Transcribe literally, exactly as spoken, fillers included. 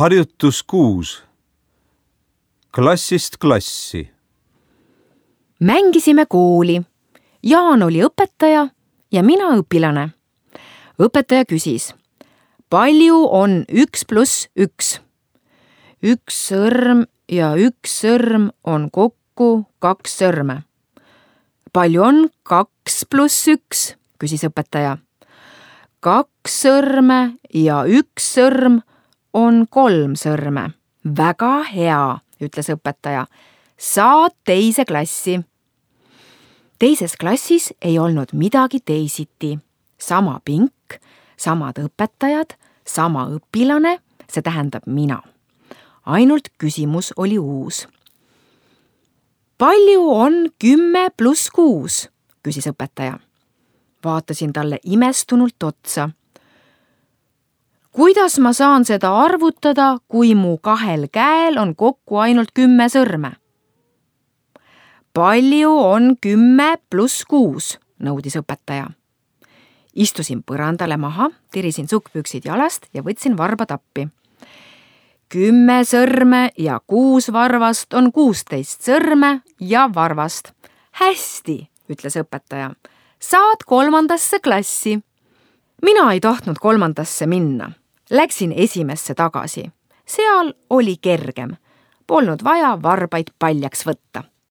Harjutus kuus. Klassist klassi. Mängisime kooli. Jaan oli õpetaja ja mina õpilane. Õpetaja küsis, palju on üks pluss üks? Üks sõrm ja üks sõrm on kokku kaks sõrme. Palju on kaks pluss üks? Küsis õpetaja. Kaks sõrme ja üks sõrm on kolm sõrme. Väga hea, ütles õpetaja. Saad teise klassi. Teises klassis ei olnud midagi teisiti. Sama pink, samad õpetajad, sama õpilane, see tähendab mina. Ainult küsimus oli uus. Palju on kümme pluss kuus? Küsis õpetaja. Vaatasin talle imestunult otsa. Kuidas ma saan seda arvutada, kui mu kahel käel on kokku ainult kümme sõrme? Palju on kümme pluss kuus? Nõudis õpetaja. Istusin põrandale maha, tirisin sukkpüksid jalast ja võtsin varba tappi. Kümme sõrme ja kuus varvast on kuusteist sõrme ja varvast. Hästi, ütles õpetaja. Saad kolmandasse klassi. Mina ei tahtnud kolmandasse minna. Läksin esimesse tagasi. Seal oli kergem. Polnud vaja varbaid paljaks võtta.